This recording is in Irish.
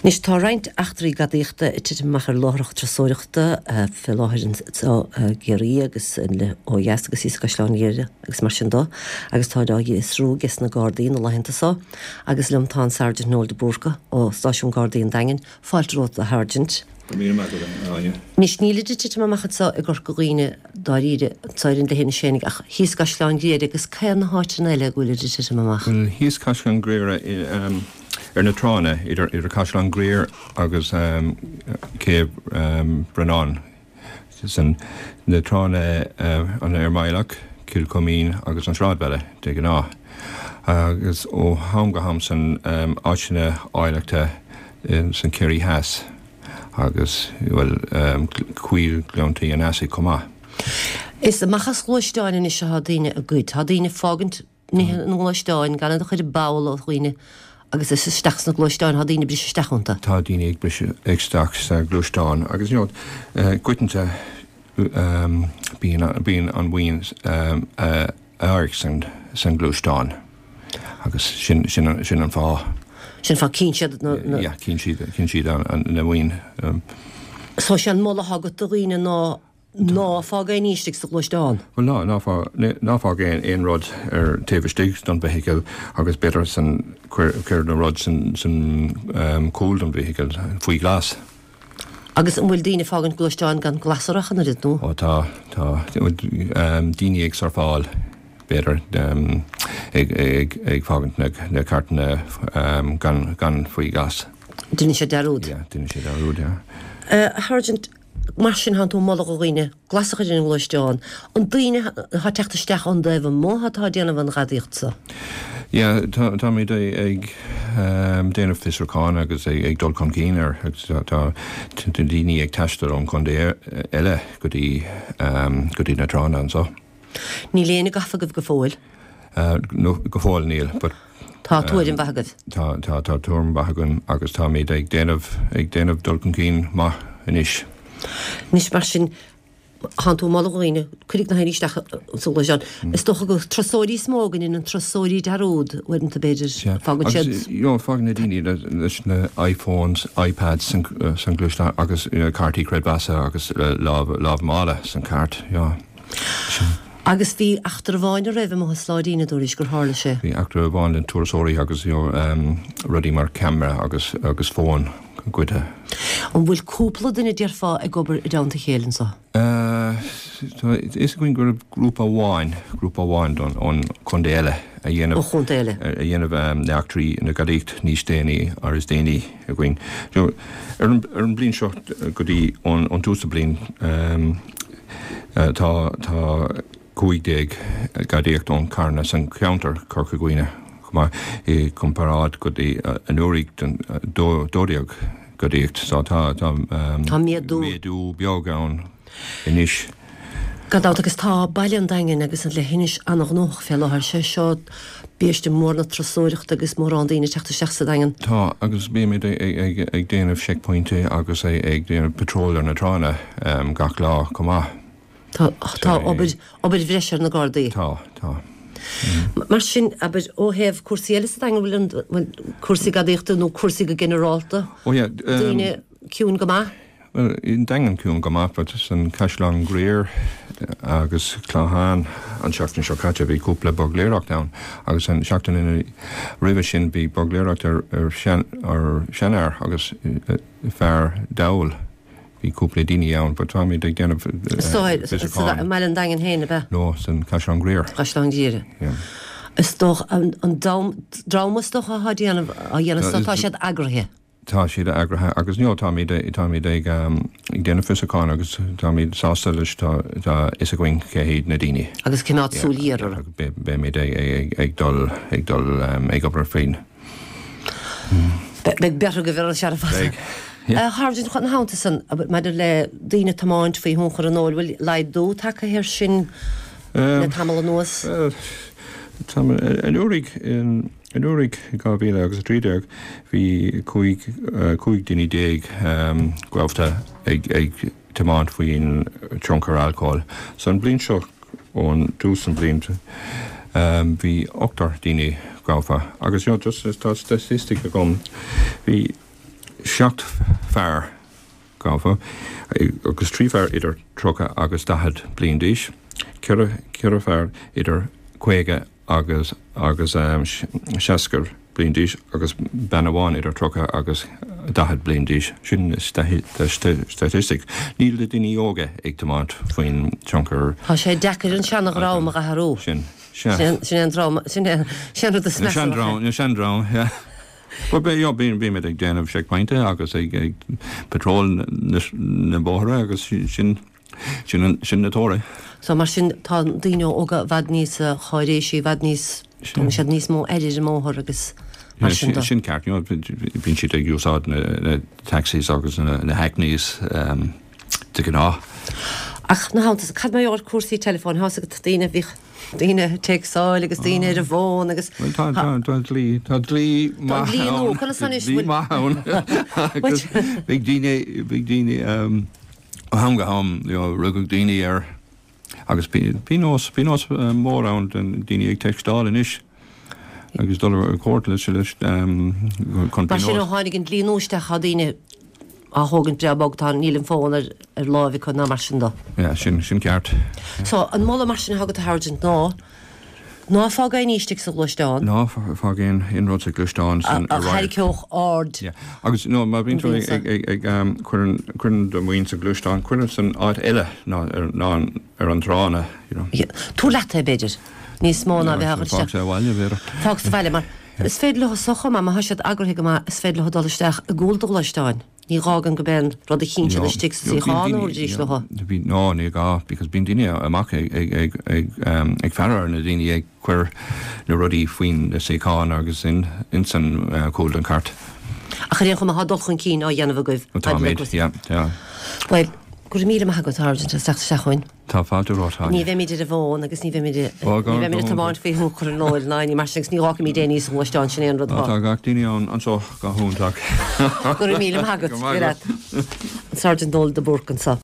Anois tá roinnt eachtraí gadaíochta ag titim amach ar láithreacha turasóireachta fé láthair anseo i gCiarraí agus ó dheas agus thíos i gCaisleán Ghriaire agus mar sin do agus táid á bhfiosrú ages na Gardaí na laethanta so agus liom tá an Sergeant Noel de Búrca ó Stáisiún Gardaí an Daingin. Fáilte romhat a Sháirsint. Go raibh míle maith agat, a Áine. Anois nílid ag titim amach anseo i gCorca Dhuibhne dáiríre, anseo ar an Leithinis fhéinig ach thíos i gCaisleán Ghriaire agus cé na háiteanna eile go bhfuilid ag titim amach? Bhuel thíos Caisleán Ghriaire i. Ar na tránna idir Caisleán Ghriaire agus Céibh Bhreannáin, san na tránna an Fhear Maidhleach, Cill Choimín agus an Sráidbhaile de ghnáth, agus ó am go ham san áiteanna áilleachta san Ciarraí Theas agus, bhuel, Coill Ghleanntaí an Easaigh chomh maith. Is amach as gluaisteáin anois atá daoine ag goid. Tá daoine ag fágaint nithe ina ngluaisteáin, gan iad a chur i bpoll ó dhaoine agus is isteach sna gluaisteáin, tá daoine ag briseadh isteach iontu. Tá daoine ag briseadh isteach sa ghluaisteán agus you know goitinte bíonn bíonn an mhaoin a amharc san san gluaisteán agus sin sin sin an fáth. Sin fáth cíonn siad na na. Yeah cíonn siad cíonn siad an na mhaoin. So sé an moladh atá agat do dhaoine ná Ná fág aon ní istigh sa ghluaisteán. Bhuel, ná, ná fág, ná fág aon, aon rud ar taobh istigh don bhfeithicil agus b'fhéidir san, cuir, cuir na rud san, san cúl don bhfeithicil faoi ghlas. Agus an bhfuil daoine ag fágaint gluaisteáin gan glas orthu ach an oiread, nó? Ó tá, tá. Daoine ag surfáil, b'fhéidir, ag, ag, ag fágaint na, na cairteanna gan, gan faoi ghlas. Déanann siad dearúd. Yeah, déanann siad dearúd, yeah. A Sháirsint, Mar sin, thánn tú ag moladh do dhaoine glas a chur ar an ngluaisteán. An daoine atá ag teacht isteach ón dtaobh amuigh atá ag déanamh an ghadaíocht so? Yeah, táimid ag déanamh fiosrúcháin agus ag dul chun cinn air agus tá daoine ag taisteal ón chontae eile go dtí go dtí na tránna anseo. Níl éinne gafa agaibh go fóill? No, go fóill níl, but. Tá tuairim mhaith agaibh? Tá, tá, tá tuairim mhaith againn agus táimid ag déanamh, ag déanamh dul chun cinn maith anois. Anois mar sin, thánn tú ag moladh do dhaoine, cuiridh na haon isteach sa ghluaisteán. Is dócha gur turasóirí is mó go ndéanann turasóirí dearúd uaireanta b'fhéidir, fágann siad. Agus, you know, fágann na daoine leis na iPhones, iPads san gluaisteán agus cártaí creidmheasa agus lámh, lámh mála san cairt, yeah. Agus bhí eachtra amháin roimhe amuigh i Sláidín a dúraís gur tharla sé. Bhí eachtra amháin le turasóirí agus you know rudaí mar camera agus agus fón goidte. An bhfuil cúpla duine déarfá ag obair i dteannta a chéile anso? Tá a fhios againn go raibh grúpa amháin, grúpa amháin don ón chontae eile a dhéanamh. Ó chontae eile. A dhéanamh na eachtraí na gadaíocht níos déanaí or is déanaí againn. You know ar an ar an bliain seo go dtí ón ón tús na bliain Tá tá 15 gadaíocht ón carranna san cheantar Corca Dhuibhne chomh maith i gcomparáid go dtí anuraidh den 12 gadaíocht so tá tá Tá méadú. méadú beag ann anois. Gan dabht agus tá baile an Daingin agus an Leithinis an-ghnóthach fé láthair. Sé seo biaiste mór na turasóireachta agus mórán daoine ag teacht isteach sa Daingean. Tá, agus bímid ag déanamh checkpointí agus ag déanamh patrol ar na tránna gach lá chomh maith. Tá, tá obair, obair bhreise ar na Gardaí. Tá, tá. Mar sin, abair, ó thaobh cúrsaí eile sa Daingean, bhfuil an, bhfuil cúrsaí gadaíochta nó cúrsaí go ginearálta, Ó yeah, daoine ciúin go maith? Bhuel, an Daingean ciúin go maith, but san Caisleán Ghriaire agus Clochán an seachtain seo caite bhí cúpla buirgléireacht ann agus an seachtain ina roimhe sin bhí buirgléireacht ar ar sean ar seanfhear agus fear dall. Bhí cúpla daoine ann but táimid ag déanamh fiosrúchán. I mbaile an Daingin féin, ab ea? No, san Caisleán Ghriaire. Caisleán Ghriaire. Yeah. Is dócha an an dream is dócha atá déanamh á dhéanamh so tá siad eagraithe. Tá siad eagraithe agus you know táimid táimid ag ag déanamh fiosrúcháin agus táimid sásta leis tá tá fhios againn cé hiad na daoine. Agus coimeád súil ghéar orthu. Beimid ag ag ag dul ag dul ag obair faoin. Beidh beart agaibh ar an searradh fada. Beidh. Yeah. A Sháirsint, ina theannta san, maidir le daoine ag tiomáint faoi thionchar an óil, bhfuil laghdú tagtha air sin le tamall anuas? Bhuel, tá anuraidh in. Anuraidh, i 2013, bhí 15 duine gaibhte ag tiomáint faoin tionchar alcóil. So an bhliain seo, ón dtús an bhliain, bhí ochtar daoine gafa. Agus you know, just tá statistic agam, bhí. 7 fear gafa agus 3 fear idir 30 agus 40 bliain d'aois, 4 4 fear idir 50 agus agus 60 bliain d'aois agus bean amháin idir 30 agus 40 bliain d'aois. Sin na statistics. Níl na daoine óga ag tiomáint faoin tionchar. Tá sé deacair an seana-dhream a athrú. Sin. Sea. Sin é an dream, sin é an rud is measa. Na sean-dream, yeah. But bímid ag déanamh checkpointe agus ag patrol na bóithre agus sin sin na toradh. So mar sin tá daoine óga i bhfad níos cáiréisí, i bhfad níos, tugann siad níos mó aire ar an mbóthar agus mar sin de. Sin ceart, you know, bíonn siad ag úsáid na taxis agus na hackneys de ghnáth. Ach ina theannta san, cad mar gheall ar cúrsaí teileafóin, tá a fhios agat daoine, bhíodh daoine ag téacsáil agus daoine ar an bhfón agus. Bhuel tá tá tá dlí tá dlí maith dlí nua conas anois dlí maith ann agus bhí daoine bhí daoine ó am go ham you know rugadh daoine ar agus bhí nós bhí nós mór ann den daoine ag téacsáil anois agus dul ar cúirt leis leis chun Mar sin ó tháinig an dlí nua isteach tá daoine á thógaint breá bog tá níl an fón ar ar láimh acu ná mar sin de. Yeah, sin sin ceart. So an moladh mar sin atá agat a Sháirsint ná ná fág aon ní istigh sa ghluaisteán. Ná fág aon aon rud sa ghluaisteán san a tharraingeodh aird. Yeah. Agus no má bhíonn tú ag ag ag ag um, cuireann cuireann do mhaoin sa ghluaisteán, cuir san áit eile ná ar ná ar an tránna, you know. Yeah. Tabhair leat é b'fhéidir. Níos mó ná bheith á chur isteach. Fág sa bhaile b'fhéidir. Fág sa bhaile mar is féidir leo so chomh maith má tá siad eagraithe go maith is féidir leo dul isteach i gcúl do ghluaisteáin. Ní gá gan go mbeidh an rud a chinn siad istigh sa suíochán a thabharfaidís leo. No, ní gá because bíonn daoine amach ag ag ag ag ag faire ar na daoine ag cur na rudaí faoin na suíocháin agus in insan chúl den chairt. Ach ar aon chuma tá dul chun cinn á dhéanamh agaibh. Táimid, yeah, yeah. Bhuel, go raibh míle maith agat, a Sháirsint, as teacht isteach chugainn. Tá fáilte romhat, Áine. Ní bheimid ar an bhfón agus ní bheimid ní bheimid ag tiomáint faoi thionchar an óil ná aon ní mar sin agus ní fhágfaimid aon ní sa ghluaisteán, sin é an rud atá. Tá gach duine ann anseo go hiontach. Go raibh míle maith agat. Go raibh maith agat. An Sergeant Noel de Búrc anseo.